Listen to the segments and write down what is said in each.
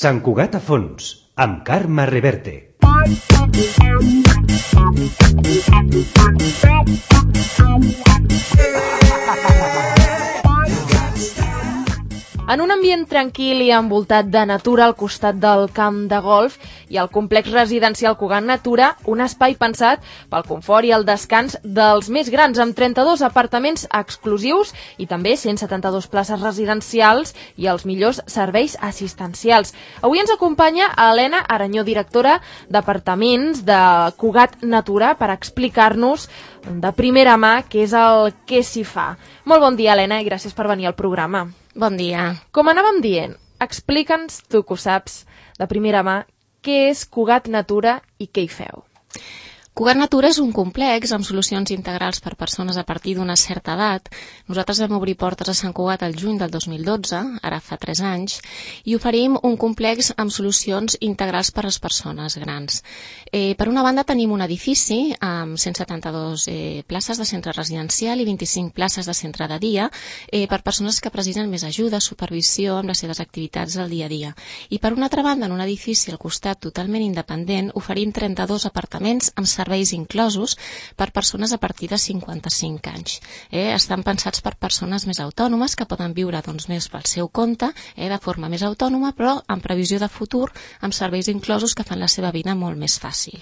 Sant Cugat a fons, amb Carme Reverte. En un ambient tranquil i envoltat de natura al costat del camp de golf i al complex residencial Cugat Natura, un espai pensat pel confort i el descans dels més grans, amb 32 apartaments exclusius i també 172 places residencials i els millors serveis assistencials. Avui ens acompanya Helena Aranyó, directora d'apartaments de Cugat Natura, per explicar-nos de primera mà què és el que s'hi fa. Molt bon dia, Helena, i gràcies per venir al programa. Bon dia. Com anàvem dient, explica'ns, tu que ho saps de primera mà, què és Cugat Natura i què hi feu. Cugat Natura és un complex amb solucions integrals per persones a partir d'una certa edat. Nosaltres vam obrir portes a Sant Cugat el juny del 2012, ara fa 3 anys, i oferim un complex amb solucions integrals per a les persones grans. Per una banda tenim un edifici amb 172 places de centre residencial i 25 places de centre de dia per persones que precisen més ajuda, supervisió amb les seves activitats del dia a dia. I per una altra banda, en un edifici al costat totalment independent, oferim 32 apartaments amb serveis inclosos per persones a partir de 55 anys. Estan pensats per persones més autònomes que poden viure més pel seu compte, de forma més autònoma, però amb previsió de futur, amb serveis inclosos que fan la seva vida molt més fàcil.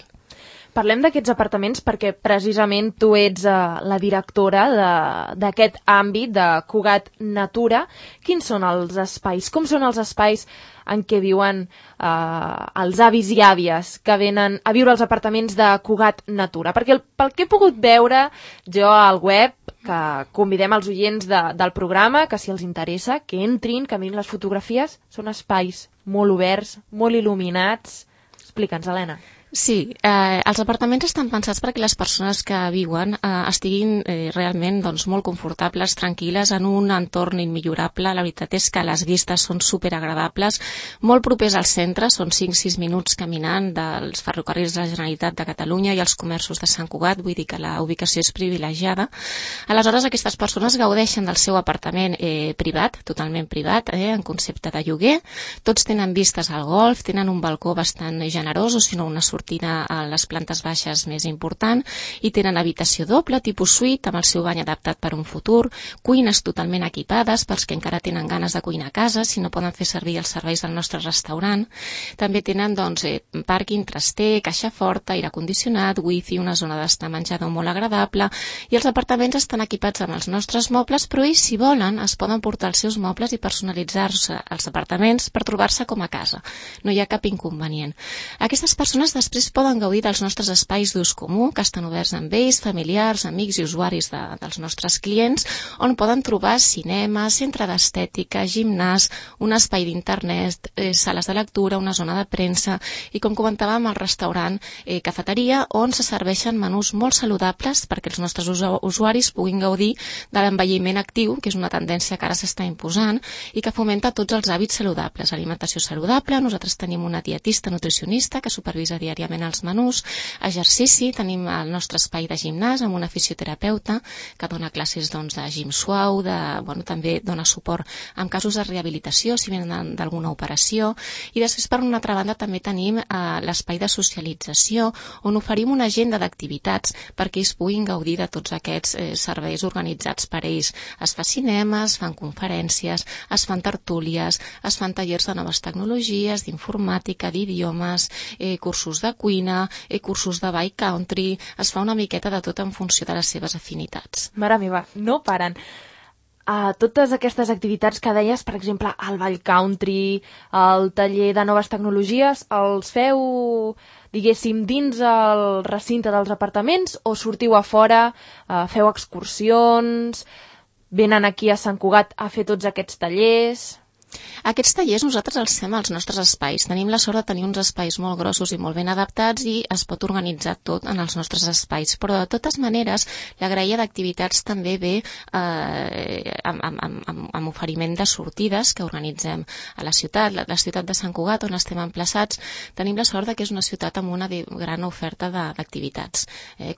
Parlem d'aquests apartaments perquè precisament tu ets la directora d'aquest àmbit de Cugat Natura. Quins són els espais? Com són els espais en què viuen els avis i àvies que venen a viure als apartaments de Cugat Natura? Perquè pel que he pogut veure jo al web, que convidem els oients del programa, que si els interessa, que entrin, que mirin les fotografies, són espais molt oberts, molt il·luminats. Explica'ns, Helena. Sí, els apartaments estan pensats perquè les persones que viuen estiguin realment molt confortables, tranquil·les, en un entorn immillorable. La veritat és que les vistes són superagradables, molt propers al centre, són 5-6 minuts caminant dels ferrocarrils de la Generalitat de Catalunya i els comerços de Sant Cugat, vull dir que la ubicació és privilegiada. Aleshores, aquestes persones gaudeixen del seu apartament privat, totalment privat, en concepte de lloguer. Tots tenen vistes al golf, tenen un balcó bastant generós, o si no una sortida a les plantes baixes més important, i tenen habitació doble, tipus suite, amb el seu bany adaptat per un futur, cuines totalment equipades pels que encara tenen ganes de cuinar a casa, si no poden fer servir els serveis del nostre restaurant. També tenen pàrquing traster, caixa forta, aire condicionat, wifi, una zona d'estar menjador molt agradable, i els apartaments estan equipats amb els nostres mobles, però ells, si volen, es poden portar els seus mobles i personalitzar-se els apartaments per trobar-se com a casa. No hi ha cap inconvenient. Aquestes persones després poden gaudir dels nostres espais d'ús comú, que estan oberts amb ells, familiars, amics i usuaris dels nostres clients, on poden trobar cinema, centre d'estètica, gimnàs, un espai d'internet, sales de lectura, una zona de premsa i, com comentàvem, el restaurant, cafeteria, on se serveixen menús molt saludables perquè els nostres usuaris puguin gaudir de l'envelliment actiu, que és una tendència que ara s'està imposant i que fomenta tots els hàbits saludables. Alimentació saludable, nosaltres tenim una dietista nutricionista que supervisa diàriament els menús, exercici, tenim el nostre espai de gimnàs amb una fisioterapeuta que dona classes de gim suau, també dona suport en casos de rehabilitació si venen d'alguna operació, i després per una altra banda també tenim l'espai de socialització on oferim una agenda d'activitats perquè ells puguin gaudir de tots aquests serveis organitzats per ells. Es fa cinema, es fan conferències, es fan tertúlies, es fan tallers de noves tecnologies, d'informàtica, d'idiomes, cursos de cuina, cursos de bike country, es fa una miqueta de tot en funció de les seves afinitats. Mare meva, no paren. Totes aquestes activitats que deies, per exemple, el bike country, el taller de noves tecnologies, els feu, diguéssim, dins el recinte dels apartaments o sortiu a fora, feu excursions, venen aquí a Sant Cugat a fer tots aquests tallers? Aquests tallers nosaltres els fem als nostres espais. Tenim la sort de tenir uns espais molt grossos i molt ben adaptats i es pot organitzar tot en els nostres espais. Però de totes maneres, la graella d'activitats també ve amb oferiment de sortides que organitzem a la ciutat. La ciutat de Sant Cugat, on estem emplaçats, tenim la sort que és una ciutat amb una gran oferta d'activitats.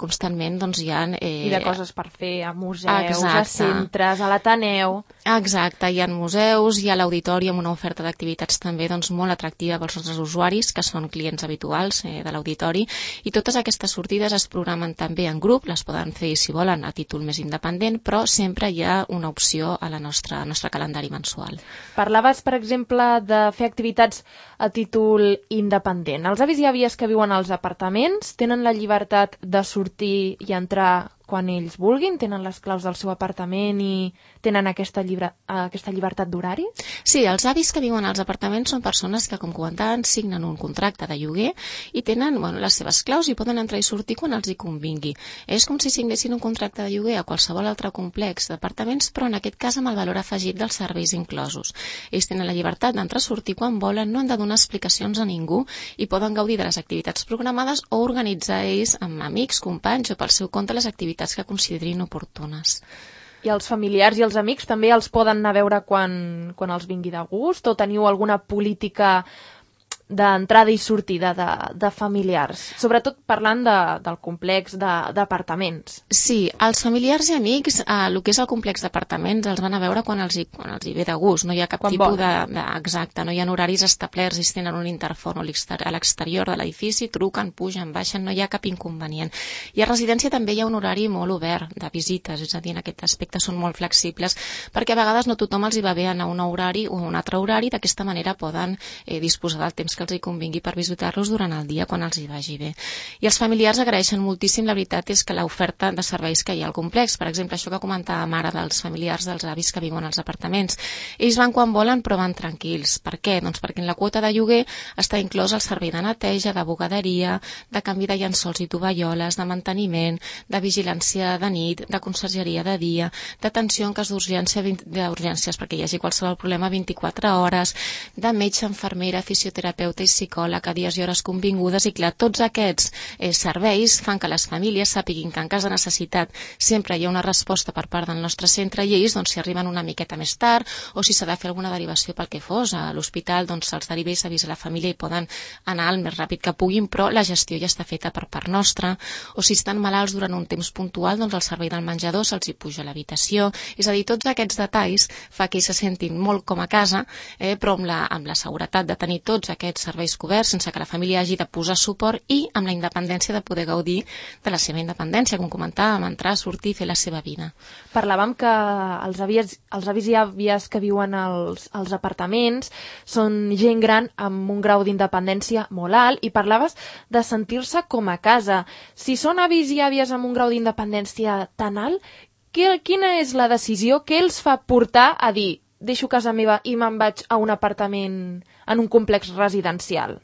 Constantment hi ha... I de coses per fer a museus, a centres, a l'Ateneu. Exacte, hi ha museus, hi ha l'auditori auditori amb una oferta d'activitats també doncs, molt atractiva pels nostres usuaris, que són clients habituals de l'auditori, i totes aquestes sortides es programen també en grup, les poden fer, si volen, a títol més independent, però sempre hi ha una opció a al nostre calendari mensual. Parlaves, per exemple, de fer activitats a títol independent. Els avis i àvies que viuen als apartaments tenen la llibertat de sortir i entrar quan ells vulguin? Tenen les claus del seu apartament i tenen aquesta llibertat d'horari? Sí, els avis que viuen als apartaments són persones que, com comentaven, signen un contracte de lloguer i tenen les seves claus i poden entrar i sortir quan els hi convingui. És com si signessin un contracte de lloguer a qualsevol altre complex d'apartaments, però en aquest cas amb el valor afegit dels serveis inclosos. Ells tenen la llibertat d'entrar i sortir quan volen, no han de donar explicacions a ningú i poden gaudir de les activitats programades o organitzar ells amb amics, companys o pel seu compte les activitats que considerin oportunes. I els familiars i els amics també els poden anar a veure quan els vingui de gust, o teniu alguna política d'entrada i sortida de familiars, sobretot parlant del complex d'apartaments? Sí, els familiars i amics, el que és el complex d'apartaments, els van a veure quan els hi ve de gust, no hi ha cap tipus exacte, no hi ha horaris establerts, ells tenen un interfon a l'exterior de l'edifici, truquen, pugen, baixen, no hi ha cap inconvenient. I a residència també hi ha un horari molt obert de visites, és a dir, en aquest aspecte són molt flexibles, perquè a vegades no tothom els hi va bé anar a un horari o a un altre horari, d'aquesta manera poden disposar del temps que els hi convingui per visitar-los durant el dia quan els hi vagi bé. I els familiars agraeixen moltíssim, la veritat és que l'oferta de serveis que hi ha al complex, per exemple, això que comentàvem ara dels familiars dels avis que viuen als apartaments, ells van quan volen però van tranquils. Per què? Doncs perquè en la quota de lloguer està inclòs el servei de neteja, de bugaderia, de canvi de llençols i tovalloles, de manteniment, de vigilància de nit, de consergeria de dia, d'atenció en cas d'urgències perquè hi hagi qualsevol problema 24 hores, de metge, infermera, fisioterapeuta i psicòleg a dies i hores convingudes, i clar, tots aquests serveis fan que les famílies sàpiguin que en cas de necessitat sempre hi ha una resposta per part del nostre centre, i ells, doncs, si arriben una miqueta més tard o si s'ha de fer alguna derivació pel que fos a l'hospital, doncs se'ls deriva i s'avisa a la família i poden anar el més ràpid que puguin, però la gestió ja està feta per part nostra. O si estan malalts durant un temps puntual, doncs el servei del menjador se'ls hi puja a l'habitació. És a dir, tots aquests detalls fa que ells se sentin molt com a casa, però amb la seguretat de tenir tots aquests serveis coberts sense que la família hagi de posar suport i amb la independència de poder gaudir de la seva independència, com comentàvem, entrar, sortir, fer la seva vida. Parlàvem que els avis i àvies que viuen als apartaments són gent gran amb un grau d'independència molt alt, i parlaves de sentir-se com a casa. Si són avis i àvies amb un grau d'independència tan alt, quina és la decisió que els fa portar a dir deixo casa meva i me'n vaig a un apartament en un complex residencial?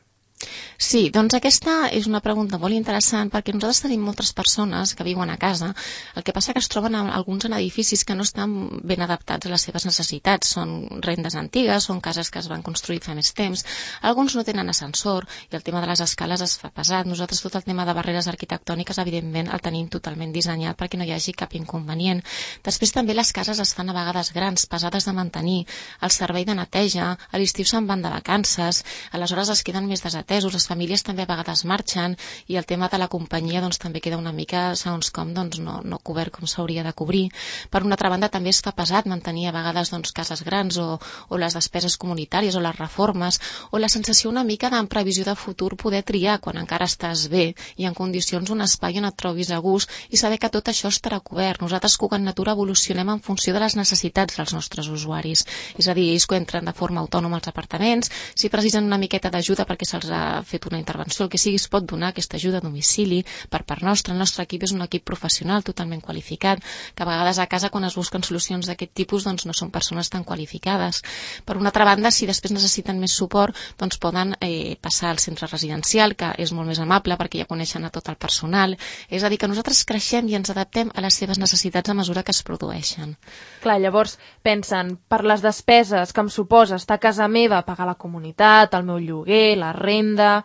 Sí, doncs aquesta és una pregunta molt interessant, perquè nosaltres tenim moltes persones que viuen a casa, el que passa que es troben alguns en edificis que no estan ben adaptats a les seves necessitats, són rendes antigues, són cases que es van construir fa més temps, alguns no tenen ascensor i el tema de les escales es fa pesat. Nosaltres tot el tema de barreres arquitectòniques evidentment el tenim totalment dissenyat perquè no hi hagi cap inconvenient. Després també les cases es fan a vegades grans, pesades de mantenir, el servei de neteja, a l'estiu se'n van de vacances, aleshores es queden més desatesos, les famílies també a vegades marxen i el tema de la companyia doncs també queda una mica, segons com, doncs no cobert com s'hauria de cobrir. Per una altra banda també es fa pesat mantenir a vegades doncs cases grans o les despeses comunitàries o les reformes, o la sensació una mica d'en previsió de futur poder triar quan encara estàs bé i en condicions un espai on et trobis a gust i saber que tot això estarà cobert. Nosaltres Cugat Natura evolucionem en funció de les necessitats dels nostres usuaris, és a dir, ells que entren de forma autònoma als apartaments, si precisen una miqueta d'ajuda perquè se'ls ha fet una intervenció, el que sigui, es pot donar aquesta ajuda a domicili per part nostra. El nostre equip és un equip professional totalment qualificat, que a vegades a casa quan es busquen solucions d'aquest tipus doncs no són persones tan qualificades. Per una altra banda, si després necessiten més suport, doncs poden passar al centre residencial, que és molt més amable perquè ja coneixen a tot el personal. És a dir, que nosaltres creixem i ens adaptem a les seves necessitats a mesura que es produeixen. Clar, llavors pensen, per les despeses que em suposa estar a casa meva, pagar la comunitat, el meu lloguer, la renda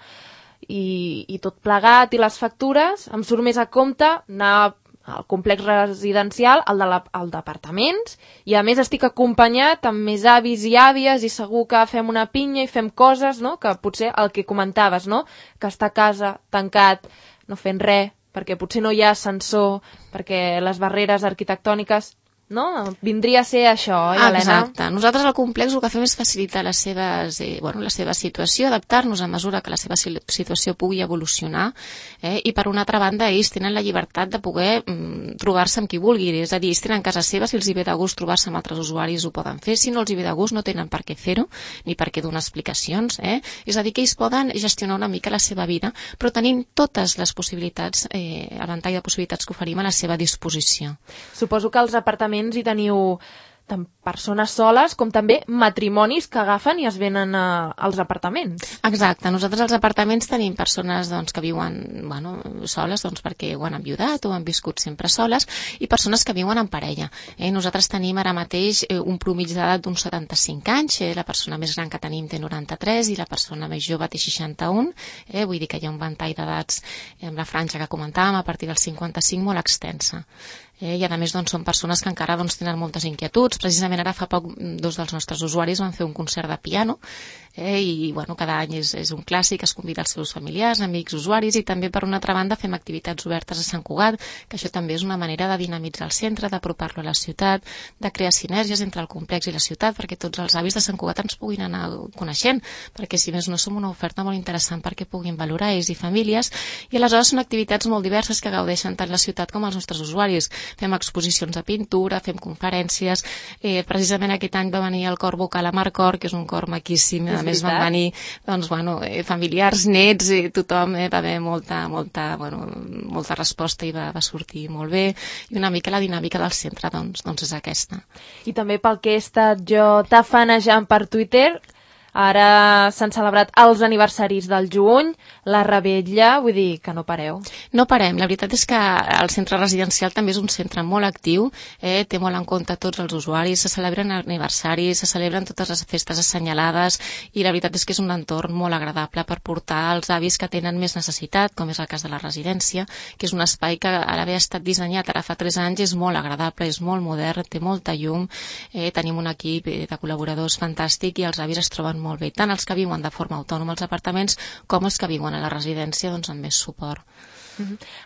i tot plegat, i les factures, em surt més a compte anar al complex residencial, al d'apartaments, i a més estic acompanyat amb més avis i àvies i segur que fem una pinya i fem coses, no? Que potser el que comentaves, no? Que està a casa tancat, no fent res, perquè potser no hi ha ascensor, perquè les barreres arquitectòniques no? Vindria a ser això, oi, Helena? Exacte. Nosaltres al complex el que fem és facilitar la seva situació, adaptar-nos a mesura que la seva situació pugui evolucionar, i per una altra banda ells tenen la llibertat de poder trobar-se amb qui vulgui, és a dir, ells tenen casa seva, si els hi ve de gust trobar-se amb altres usuaris ho poden fer, si no els hi ve de gust no tenen per què fer-ho, ni per què donar explicacions, és a dir, que ells poden gestionar una mica la seva vida, però tenint totes les possibilitats, el ventall de possibilitats que oferim a la seva disposició. Suposo que als apartaments hi teniu tant persones soles com també matrimonis que agafen i es venen als apartaments. Exacte. Nosaltres als apartaments tenim persones que viuen soles perquè ho han enviudat o han viscut sempre soles i persones que viuen en parella. Nosaltres tenim ara mateix un promig d'edat d'uns 75 anys, la persona més gran que tenim té 93 i la persona més jove té 61, vull dir que hi ha un ventall d'edats amb la franja que comentàvem a partir dels 55 molt extensa. I a més són persones que encara tenen moltes inquietuds. Precisament ara fa poc 2 dels nostres usuaris van fer un concert de piano i cada any és un clàssic, es convida els seus familiars, amics, usuaris i també per una altra banda fem activitats obertes a Sant Cugat, que això també és una manera de dinamitzar el centre, d'apropar-lo a la ciutat, de crear sinergies entre el complex i la ciutat perquè tots els avis de Sant Cugat ens puguin anar coneixent, perquè si més no som una oferta molt interessant perquè puguin valorar ells i famílies i aleshores són activitats molt diverses que gaudeixen tant la ciutat com els nostres usuaris. Fem exposicions de pintura, fem conferències, precisament aquest any va venir el cor vocal a Marcor, que és un cor maquíssim, a més van venir familiars, nets, tothom, va haver molta resposta i va sortir molt bé i una mica la dinàmica del centre és aquesta. I també pel que he estat jo tafanejant per Twitter, ara s'han celebrat els aniversaris del juny, la revetlla, vull dir que no pareu. No parem, la veritat és que el centre residencial també és un centre molt actiu, té molt en compte tots els usuaris, se celebren aniversaris, se celebren totes les festes assenyalades i la veritat és que és un entorn molt agradable per portar els avis que tenen més necessitat, com és el cas de la residència, que és un espai que a l'haver estat dissenyat ara fa 3 anys és molt agradable, és molt modern, té molta llum, tenim un equip de col·laboradors fantàstic i els avis es troben molt bé, tant els que viuen de forma autònoma als apartaments com els que viuen a la residència amb més suport.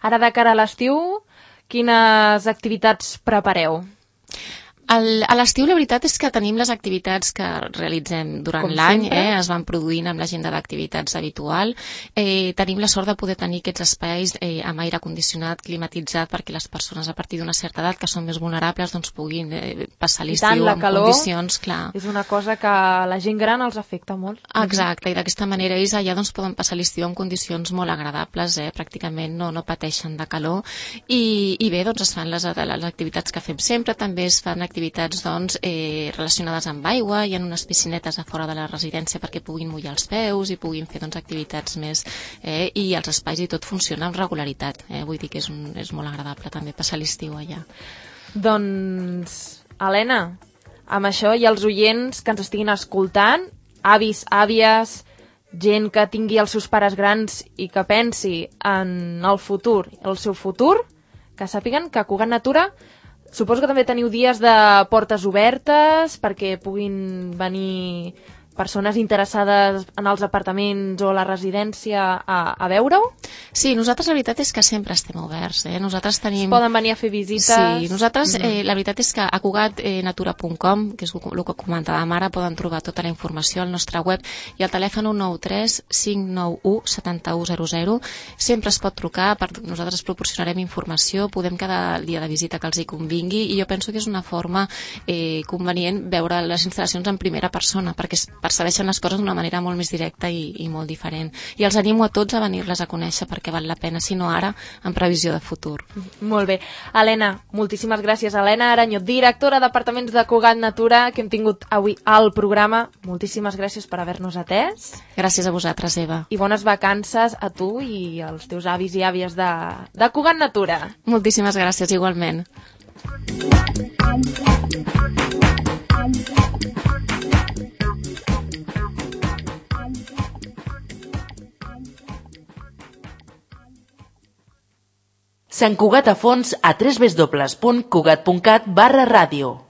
Ara de cara a l'estiu, quines activitats prepareu? A l'estiu la veritat és que tenim les activitats que realitzem durant l'any, es van produint amb l'agenda d'activitats habitual. Tenim la sort de poder tenir aquests espais amb aire condicionat, climatitzat, perquè les persones a partir d'una certa edat que són més vulnerables puguin passar l'estiu en condicions. Clar. És una cosa que a la gent gran els afecta molt. Exacte, i d'aquesta manera ells allà poden passar l'estiu en condicions molt agradables, pràcticament no pateixen de calor i bé, es fan les activitats que fem sempre, també es fan activitats relacionades amb aigua, hi ha unes piscinetes a fora de la residència perquè puguin mullar els peus i puguin fer activitats més i els espais i tot funciona amb regularitat, vull dir que és molt agradable també passar l'estiu allà. Doncs, Helena, amb això i els oients que ens estiguin escoltant, avis, àvies, gent que tingui els seus pares grans i que pensi en el futur, el seu futur, que sàpiguen que a Cugat Natura suposo que també teniu dies de portes obertes perquè puguin venir persones interessades en els apartaments o la residència a veure-ho? Sí, nosaltres la veritat és que sempre estem oberts. Nosaltres tenim... Es poden venir a fer visites? Sí, nosaltres la veritat és que a cugatnatura.com, que és el que comentàvem ara, poden trobar tota la informació al nostre web i al telèfon 193 591 7100. Sempre es pot trucar, nosaltres proporcionarem informació, podem quedar el dia de visita que els hi convingui i jo penso que és una forma convenient veure les instal·lacions en primera persona perquè percebeixen les coses d'una manera molt més directa i molt diferent. I els animo a tots a venir-les a conèixer perquè val la pena, si no ara, en previsió de futur. Molt bé. Helena, moltíssimes gràcies. Helena Aranyó, directora d'Apartaments de Cugat Natura, que hem tingut avui al programa. Moltíssimes gràcies per haver-nos atès. Gràcies a vosaltres, Eva. I bones vacances a tu i als teus avis i àvies de Cugat Natura. Moltíssimes gràcies, igualment. Sant Cugat a fons a www.cugat.cat/ràdio.